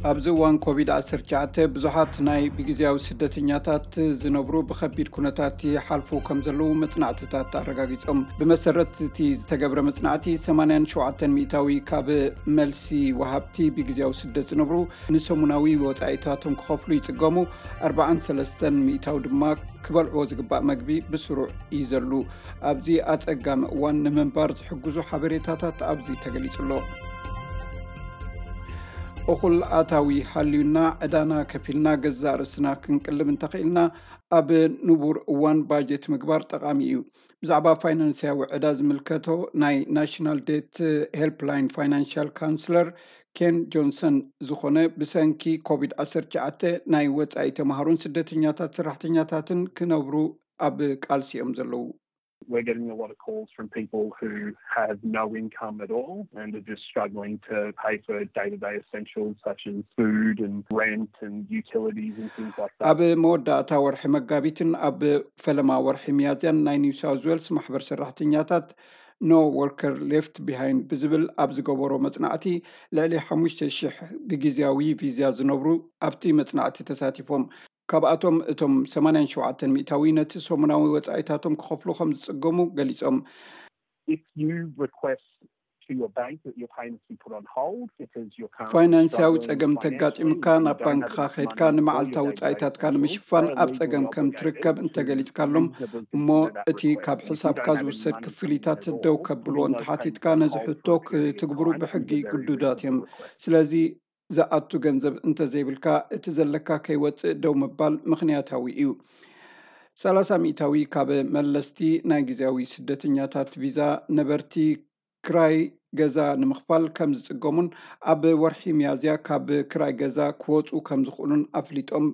ኣብዚ እዋን ኮቪድ ዓሰርተ ትሽዓተ ብዙሓት ናይ ብግዜያዊ ስደተኛታት ዝነብሩ ብኸቢድ ኩነታት ይሓልፉ ከም ዘለዉ መጽናዕትታት ኣረጋጊጾም። ብመሰረት እቲ ዝተገብረ መጽናዕቲ፣ ሰማንያን ሸውዓተን ሚእታዊ ካብ መልሲ ወሃብቲ ብግዜያዊ ስደት ዝነብሩ ንሰሙናዊ ወጻኢታቶም ክኸፍሉ ይጽገሙ፣ ኣርባዓን ሰለስተን ሚእታዊ ድማ ክበልዕዎ ዝግባእ መግቢ ብስሩዕ ይዘሉ። ኣብዚ ኣጸጋሚ እዋን ንምንባር ዝሕግዙ ሓበሬታታት ኣብዚ ተገሊጹ ኣሎ። እኹል ኣታዊ ሃልዩና ዕዳና ከፊልና ገዛእ ርእስና ክንቅልብ እንተኽኢልና፣ ኣብ ንቡር እዋን ባጀት ምግባር ጠቓሚ እዩ። ብዛዕባ ፋይናንስያዊ ዕዳ ዝምልከቶ ናይ ናሽናል ዴት ሄልፕላይን ፋይናንሻል ካውንስለር ኬን ጆንሰን ዝኾነ፣ ብሰንኪ ኮቪድ ዓሰርተ ትሽዓተ ናይ ወጻኢ ተማሃሮን ስደተኛታት ሰራሕተኛታትን ክነብሩ ኣብ ቃልሲ እዮም ዘለዉ። We're getting a lot of calls from people who have no income at all and are just struggling to pay for day-to-day essentials such as food and rent and utilities and things like that. ኣብ መወዳእታ ወርሒ መጋቢትን ኣብ ፈለማ ወርሒ ሚያዝያን ናይ ኒው ሳውዝ ዌልስ ማሕበር ሰራሕተኛታት ኖ ወርከር ሌፍት ቢሃይንድ ብዝብል ኣብ ዝገበሮ መጽናዕቲ፣ ልዕሊ ሓሙሽተ ሽሕ ብግዜያዊ ቪዛ ዝነብሩ ኣብቲ መጽናዕቲ ተሳቲፎም። ካብኣቶም እቶም ሰማንያን ሸውዓተን ሚእታዊ ነቲ ሰሙናዊ ወጻኢታቶም ክኸፍሉ ከም ዝጽገሙ ገሊጾም። If you request to your bank that your payments be put on hold because you're currently ፋይናንስያዊ struggling ጸገም financially ተጋጢሙካ and you ናብ don't have ባንክኻ enough ኸይድካ money for your ንመዓልታዊ day-to-day ጻኢታትካ essentials, ንምሽፋን they're ኣብ legally ጸገም ከም obligated ትርከብ to እንተገሊጽካሎም reasonably እሞ consider that እቲ request. ካብ If you ሕሳብካ don't have any ዝውሰድ money coming ክፍሊታት in at ደው all, ከብልዎ putting those እንተሓቲትካ payments ነዚ on hold ሕቶ for a period of ክትግብሩ time is ብሕጊ a very ግዱዳት እዮም። reasonable request. ስለዚ ዝኣቱ ገንዘብ እንተዘይብልካ እቲ ዘለካ ከይወጽእ ደው ምባል ምኽንያታዊ እዩ። ሰላሳ ሚእታዊ ካብ መለስቲ ናይ ግዜያዊ ስደተኛታት ቪዛ ነበርቲ ክራይ ገዛ ንምኽፋል ከም ዝጽገሙን ኣብ ወርሒ ሚያዝያ ካብ ክራይ ገዛ ክወጹ ከም ዝኽእሉን ኣፍሊጦም።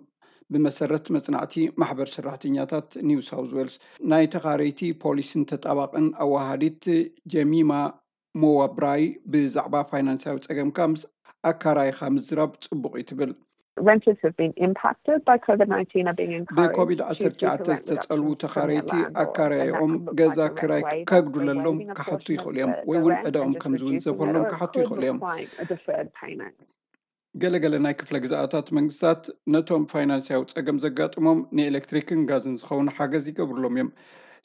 ብመሰረት መጽናዕቲ ማሕበር ሰራሕተኛታት ኒው ሳውዝ ዌልስ ናይ ተኻረይቲ ፖሊስን ተጣባቕን ኣዋሃዲት ጀሚማ ሞዋብራይ፣ ብዛዕባ ፋይናንሳዊ ጸገምካ ምስ ኣካራይኻ ምዝራብ ጽቡቕ እዩ ትብል። Renters who've been impacted by COVID nineteen are being encouraged ብኮቪድ to ዓሰርተ ትሽዓተ rent without ዝተጸልዉ permission from their ተኻረይቲ landlord. And that ኣካራይኦም can look ገዛ like a rent ክራይ waiver, ከጉድለሎም waiving a ክሓቱ portion of ይኽእሉ እዮም፣ the, ወይ the እውን rent and ዕዳኦም just ከም reducing it, ዝውንዘፈሎም or it ክሓቱ could ይኽእሉ እዮም። Look like a deferred payment. ገለገለ ናይ ክፍለ ግዝኣታት መንግስታት ነቶም ፋይናንስያዊ ጸገም ዘጋጥሞም ንኤሌክትሪክን ጋዝን ዝኸውን ሓገዝ ይገብርሎም እዮም።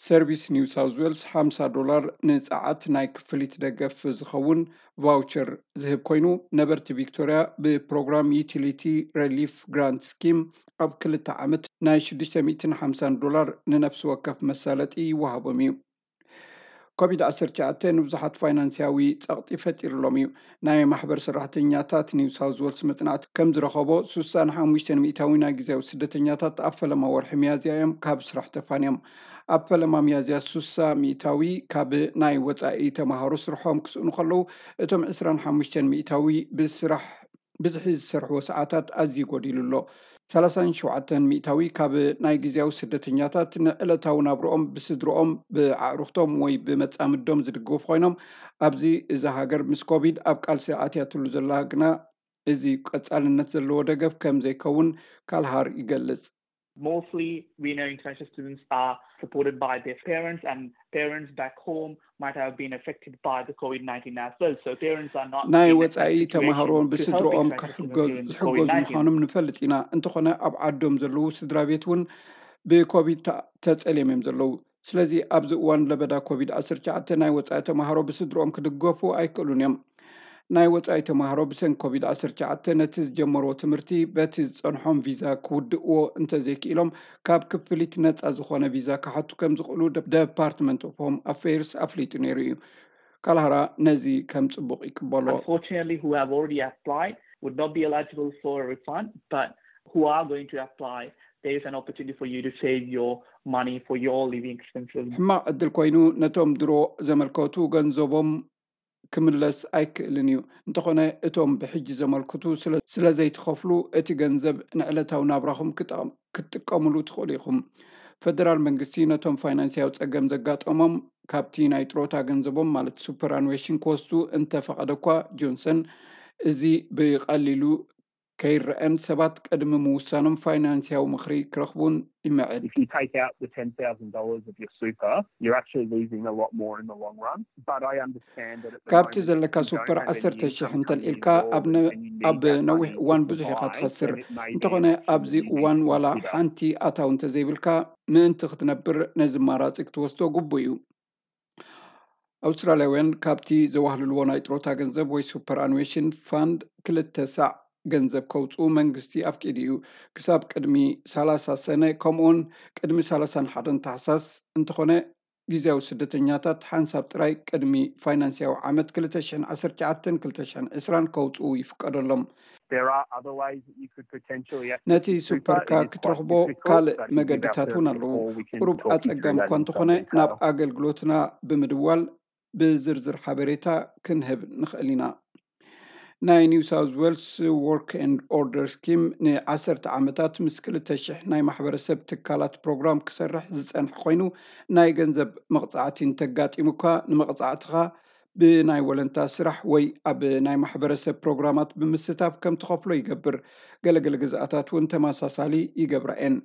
ሰርቪስ ኒው ሳውዝ ዌልስ ሓምሳ ዶላር ንጸዓት ናይ ክፍሊት ደገፍ ዝኸውን ቫውቸር ዝህብ ኮይኑ፣ ነበርቲ ቪክቶርያ ብፕሮግራም ዩቲሊቲ ሬሊፍ ግራንት ስኪም ኣብ ክልተ ዓመት ናይ ሽዱሽተ ሚእትን ሓምሳን ዶላር ንነፍሲ ወከፍ መሳለጢ ይወሃቦም እዩ። ኮቪድ ዓሰርተ ትሽዓተ ንብዙሓት ፋይናንስያዊ ጸቕጢ ፈጢርሎም እዩ። ናይ ማሕበር ሰራሕተኛታት ኒው ሳውዝ ዌልስ መጽናዕቲ ከም ዝረኸቦ፣ ሱሳን ሓሙሽተን ሚእታዊ ናይ ግዜያዊ ስደተኛታት ኣብ ፈለማ ወርሒ ሚያዝያ እዮም ካብ ስራሕ ተፋንዮም። ኣብ ፈለማ ሚያዝያ ሱሳ ሚእታዊ ካብ ናይ ወጻኢ ተማሃሮ ስርሖም ክስእኑ ከለዉ፣ እቶም ዕስራን ሓሙሽተን ሚእታዊ ብስራሕ ብዝሒ ዝሰርሕዎ ሰዓታት ኣዝዩ ጎዲሉ ኣሎ። ሰላሳን ሸውዓተን ሚእታዊ ካብ ናይ ግዜያዊ ስደተኛታት ንዕለታዊ ናብርኦም ብስድርኦም፣ ብኣዕሩኽቶም ወይ ብመጻምዶም ዝድገፉ ኮይኖም፣ ኣብዚ እዛ ሃገር ምስ ኮቪድ ኣብ ቃልሲ ኣትያትሉ ዘላ ግና እዚ ቀጻልነት ዘለዎ ደገፍ ከም ዘይከውን ካልሃር ይገልጽ። Mostly, we know international students are supported by their parents, and parents back home might have been affected by the COVID nineteen as well. So parents are not ናይ in a ወጻኢ situation ተማሃሮን to help ብስድርኦም international ክሕገዙ students during ዝሕገዙ COVID nineteen. ምዃኖም ንፈልጥ ኢና። እንተኾነ ኣብ ዓዶም ዘለዉ ስድራ ቤት እውን ብኮቪድ ተ- ተጸልዮም እዮም ዘለዉ። ስለዚ ኣብዚ እዋን ለበዳ ኮቪድ ዓሰርተ ትሽዓተ ናይ ወጻኢ ተማሃሮ ብስድርኦም ክድገፉ ኣይክእሉን እዮም። ናይ ወጻኢ ተማሃሮ ብሰንኪ ኮቪድ ዓሰርተ ትሽዓተ ነቲ ዝጀመርዎ ትምህርቲ በቲ ዝጸንሖም ቪዛ ክውድእዎ እንተዘይክኢሎም፣ ካብ ክፍሊት ነጻ ዝኾነ ቪዛ ክሓቱ ከም ዝኽእሉ ደ- ደፓርትመንት ኦፍ ሆም ኣፌርስ ኣፍሊጡ ነይሩ እዩ። ካልሃራ ነዚ ከም ጽቡቕ ይቅበሎ። Unfortunately, who have already applied would not be eligible for a refund, but who are going to apply, there is an opportunity for you to save your money for your living expenses. ሕማቕ ዕድል ኮይኑ፣ ነቶም ድሮ ዘመልከቱ ገንዘቦም ክምለስ ኣይክእልን እዩ። እንተኾነ፣ እቶም ብሕጂ ዘመልክቱ ስለ- ስለ ዘይትኸፍሉ፣ እቲ ገንዘብ ንዕለታዊ ናብራኹም ክጠቕም- ክትጥቀምሉ ትኽእሉ ኢኹም። ፈደራል መንግስቲ ነቶም ፋይናንስያዊ ጸገም ዘጋጠሞም ካብቲ ናይ ጥሮታ ገንዘቦም፣ ማለት ሱፐራኑዌሽን፣ ክወስዱ እንተፈቐደ እኳ፣ ጆንሰን እዚ ብቐሊሉ ከይረአን ሰባት ቅድሚ ምውሳኖም ፋይናንስያዊ ምኽሪ ክረኽቡን ይምዕድ። If you take out the ten thousand dollars of your super, you're actually losing a lot more in the long run. But I understand that at the ካብቲ moment, ዘለካ if you don't ሱፐር have any ዓሰርተ ሺሕ income እንተልዒልካ involved ኣብ ነ- and you need ኣብ that ነዊሕ money እዋን to ብዙሕ ኢኻ buy, ትኸስር። then it may be an እንተኾነ option ኣብዚ that you need እዋን to ዋላ consider. ሓንቲ ኣታዊ እንተዘይብልካ ምእንቲ ክትነብር ነዚ ኣማራፂ ክትወስዶ ግቡእ እዩ። ኣውስትራልያውያን ካብቲ ዘዋህልልዎ ናይ ጥሮታ ገንዘብ ወይ ሱፐር ኣኑዌሽን ፋንድ ክልተ ሳዕ ገንዘብ ከውፅኡ መንግስቲ ኣፍቂዱ እዩ። ክሳብ ቅድሚ ሰላሳ ሰነ፣ ከምኡውን ቅድሚ ሰላሳን ሓደን ታሕሳስ እንተኾነ፣ ግዜያዊ ስደተኛታት ሓንሳብ ጥራይ ቅድሚ ፋይናንስያዊ ዓመት ክልተ ሽሕን ዓሰርተ ትሽዓተን ክልተ ሽሕን ዕስራን ከውፅኡ ይፍቀደሎም። There are other ways that you could potentially access ነቲ your super. ሱፐርካ It is quite ክትረኽቦ difficult, ካልእ but if you give መገድታት እውን ourselves a ኣለዉ። call, we can ቁሩብ talk you through ኣጸጋሚ that እኳ in some እንተኾነ ናብ detail. ኣገልግሎትና ብምድዋል ብዝርዝር ሓበሬታ ክንህብ ንኽእል ኢና። ናይ ኒው ሳውዝ ዌልስ ወርክ ኤንድ ኦርደር ስኪም ንዓሰርተ ዓመታት ምስ ክልተ ሽሕ ናይ ማሕበረሰብ ትካላት ፕሮግራም ክሰርሕ ዝጸንሐ ኮይኑ፣ ናይ ገንዘብ መቕጻዕቲ እንተጋጢሙ እኳ ንመቕጻዕትኻ ብናይ ወለንታ ስራሕ ወይ ኣብ ናይ ማሕበረሰብ ፕሮግራማት ብምስታፍ ከም ትኸፍሎ ይገብር። ገለገለ ግዝኣታት እውን ተመሳሳሊ ይገብራ እየን።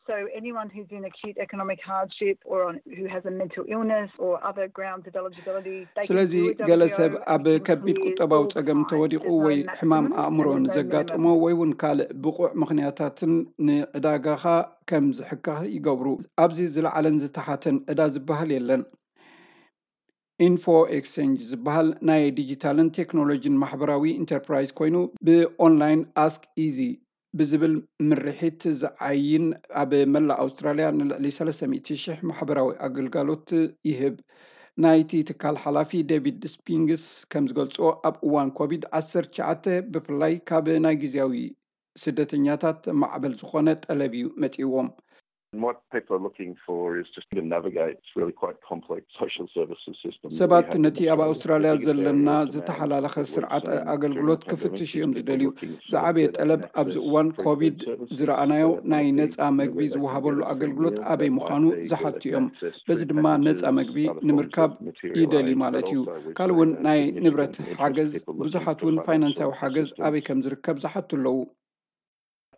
So anyone who's in acute economic hardship or on, who has a mental illness or other grounds of eligibility, they can ስለዚ do a ገለ W O ሰብ and ኣብ it can ከቢድ clear ቁጠባዊ all the ጸገም time. ተወዲቑ There's no ወይ ሕማም maximum and ኣእምሮን there's no ዘጋጠሞ minimum. ወይ እውን ካልእ ብቑዕ ምኽንያታትን ንዕዳጋኻ ከም ዝሕካኽ ይገብሩ። ኣብዚ ዝለዓለን ዝተሓተን ዕዳ ዝበሃል የለን። ኢንፎ ኤክስቼንጅ ዝበሃል ናይ ዲጂታልን ቴክኖሎጂን ማሕበራዊ ኢንተርፕራይዝ ኮይኑ፣ ብኦንላይን ኣስክ ኢዚ ብዝብል ምርሒት ዝዓይን፣ ኣብ መላእ ኣውስትራልያ ንልዕሊ ሰለስተ ሚእቲ ሽሕ ማሕበራዊ ኣገልጋሎት ይህብ። ናይቲ ትካል ሓላፊ ዴቪድ ስፒንግስ ከም ዝገልጾ፣ ኣብ እዋን ኮቪድ ዓሰርተ ትሽዓተ ብፍላይ ካብ ናይ ግዜያዊ ስደተኛታት ማዕበል ዝኾነ ጠለብ እዩ መጺእዎም። And what people are looking for is just to navigate this really quite complex social services system. ሰባት ነቲ ኣብ ኣውስትራልያ ዘለና ዝተሓላለኸ ስርዓት ኣገልግሎት ክፍትሽ እዮም ዝደልዩ። ዝዓበየ ጠለብ ኣብዚ እዋን ኮቪድ ዝረኣናዮ ናይ ነፃ መግቢ ዝወሃበሉ ኣገልግሎት ኣበይ ምዃኑ ዝሓቱ እዮም። በዚ ድማ ነፃ መግቢ ንምርካብ ይደሊ ማለት እዩ። ካልእ እውን ናይ ንብረት ሓገዝ፣ ብዙሓት እውን ፋይናንሳዊ ሓገዝ ኣበይ ከም ዝርከብ ዝሓቱ ኣለዉ።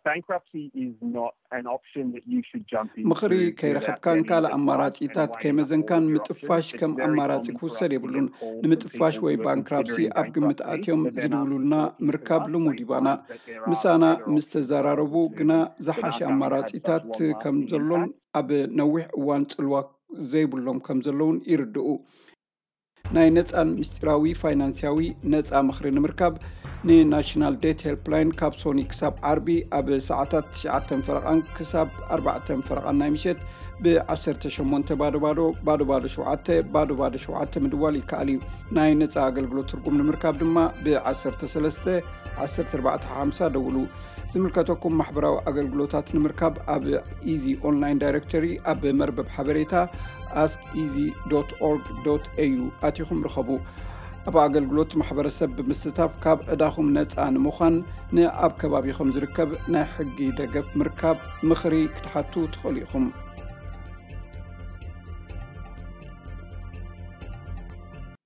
Bankruptcy is not an option that you should jump into. ምኽሪ ከይረኸብካን ካልእ ኣማራጺታት ከይመዘንካን ምጥፋሽ ከም ኣማራጺ ክውሰድ የብሉን። ንምጥፋሽ ወይ ባንክራፕሲ ኣብ ግምት ኣትዮም ዝድውሉልና ምርካብ ልሙድ ይባና። ምሳና ምስ ተዘራረቡ ግና ዝሓሸ ኣማራጺታት ከም ዘሎን ኣብ ነዊሕ እዋን ጽልዋ ዘይብሎም ከም ዘለውን ይርድኡ። ናይ ነፃን ምስጢራዊ ፋይናንስያዊ ነፃ ምኽሪ ንምርካብ ንናሽናል ዴት ሄልፕላይን ካብ ሶኒ ክሳብ ዓርቢ ኣብ ሰዓታት ትሽዓተ ፈረቓን ክሳብ ኣርባዕተ ፈረቓን ናይ ምሸት ብ ዓሰርተ ሸሞንተ ባዶ ባዶ ባዶ ባዶ ሸውዓተ ባዶ ባዶ ሸውዓተ ምድዋል ይከኣል እዩ። ናይ ነፃ ኣገልግሎት ትርጉም ንምርካብ ድማ ብ ዓሰርተ ሰለስተ ዓሰርተ ኣርባዕተ ሓምሳ ደውሉ። ዝምልከተኩም ማሕበራዊ ኣገልግሎታት ንምርካብ ኣብ ኢዚ ኦንላይን ዳይሬክቶሪ ኣብ መርበብ ሓበሬታ ask easy dot org dot A U ኣቲኹም ርኸቡ። ኣብ ኣገልግሎት ማሕበረሰብ ብምስታፍ ካብ ዕዳኹም ነፃ ንምዃን ንኣብ ከባቢኹም ዝርከብ ናይ ሕጊ ደገፍ ምርካብ ምኽሪ ክትሓቱ ትኽእሉ ኢኹም።